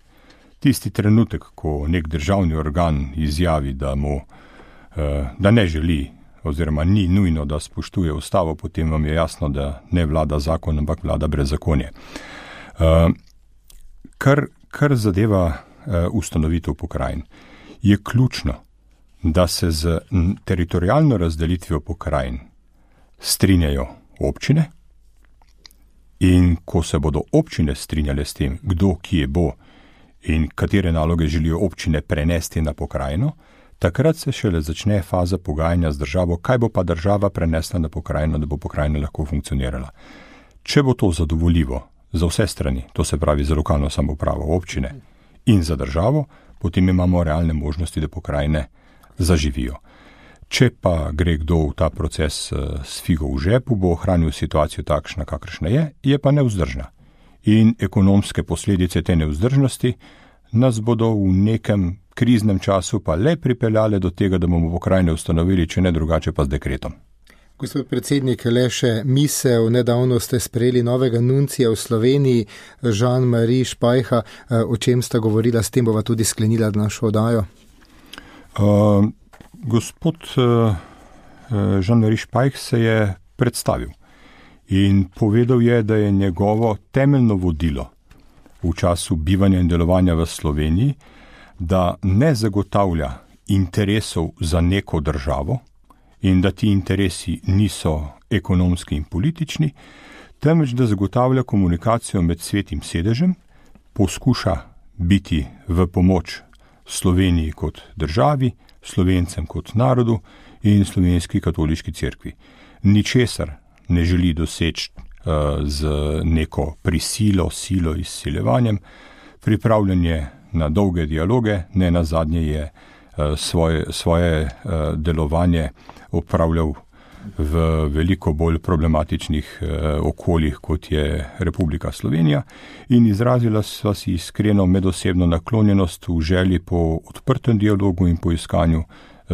Tisti trenutek, ko nek državni organ izjavi, da ne želi oziroma ni nujno, da spoštuje ustavo, potem vam je jasno, da ne vlada zakon, ampak vlada brezzakonje. Kar zadeva ustanovitev pokrajin, je ključno, da se z teritorijalno razdelitvijo pokrajin strinjajo občine in ko se bodo občine strinjale s tem, kdo kje bo in katere naloge želijo občine prenesti na pokrajino, takrat se šele začne faza pogajanja z državo, kaj bo pa država prenesla na pokrajino, da bo pokrajina lahko funkcionirala. Če bo to zadovoljivo za vse strani, to se pravi za lokalno samoupravo občine in za državo, potem imamo realne možnosti, da pokrajine zaživijo. Če pa gre kdo v ta proces s figo v žepu, bo ohranil situacijo takšna, kakršna je pa nevzdržna. In ekonomske posledice te nevzdržnosti nas bodo v nekem kriznem času pa le pripeljale do tega, da bomo pokrajine ustanovili, če ne drugače pa z dekretom. Gospod predsednik, le še misel, nedavno ste sprejeli novega nuncija v Sloveniji, Jean-Marie Špajha, o čem sta govorila, s tem bova tudi sklenila našo oddajo. Gospod Jean-Marie Špajh se je predstavil in povedal je, da je njegovo temeljno vodilo v času bivanja in delovanja v Sloveniji, da ne zagotavlja interesov za neko državo in da ti interesi niso ekonomski in politični, temveč da zagotavlja komunikacijo med svetim sedežem, poskuša biti v pomoč Sloveniji kot državi, Slovencem kot narodu in Slovenski katoliški cerkvi. Ničesar ne želi doseči z neko prisilo, silo, izsiljevanjem, pripravljanje na dolge dialoge, ne nazadnje je svoje delovanje opravljal v veliko bolj problematičnih okoljih, kot je Republika Slovenija, in izrazila sva si iskreno medosebno naklonjenost v želji po odprtem dialogu in po iskanju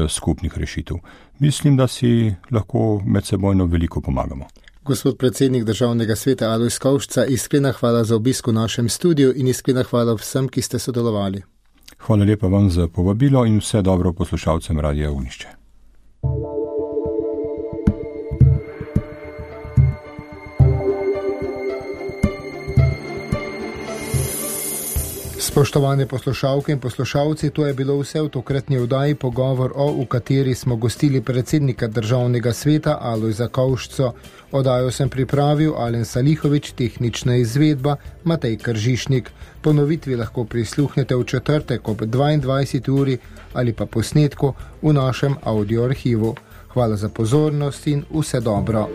skupnih rešitev. Mislim, da si lahko medsebojno veliko pomagamo. Gospod predsednik Državnega sveta Alojz Kovšca, iskrena hvala za obisk v našem studiu in iskrena hvala vsem, ki ste sodelovali. Hvala lepa vam za povabilo in vse dobro poslušalcem Radia Ognjišče. Spoštovane poslušalke in poslušalci, to je bilo vse v tokratni oddaji Pogovor o, v kateri smo gostili predsednika Državnega sveta Alojza Kovšco. Oddajo sem pripravil Alen Salihovič, tehnična izvedba Matej Kržišnik. Ponovitvi lahko prisluhnete v četrtek ob 22. uri ali pa posnetku v našem audio arhivu. Hvala za pozornost in vse dobro.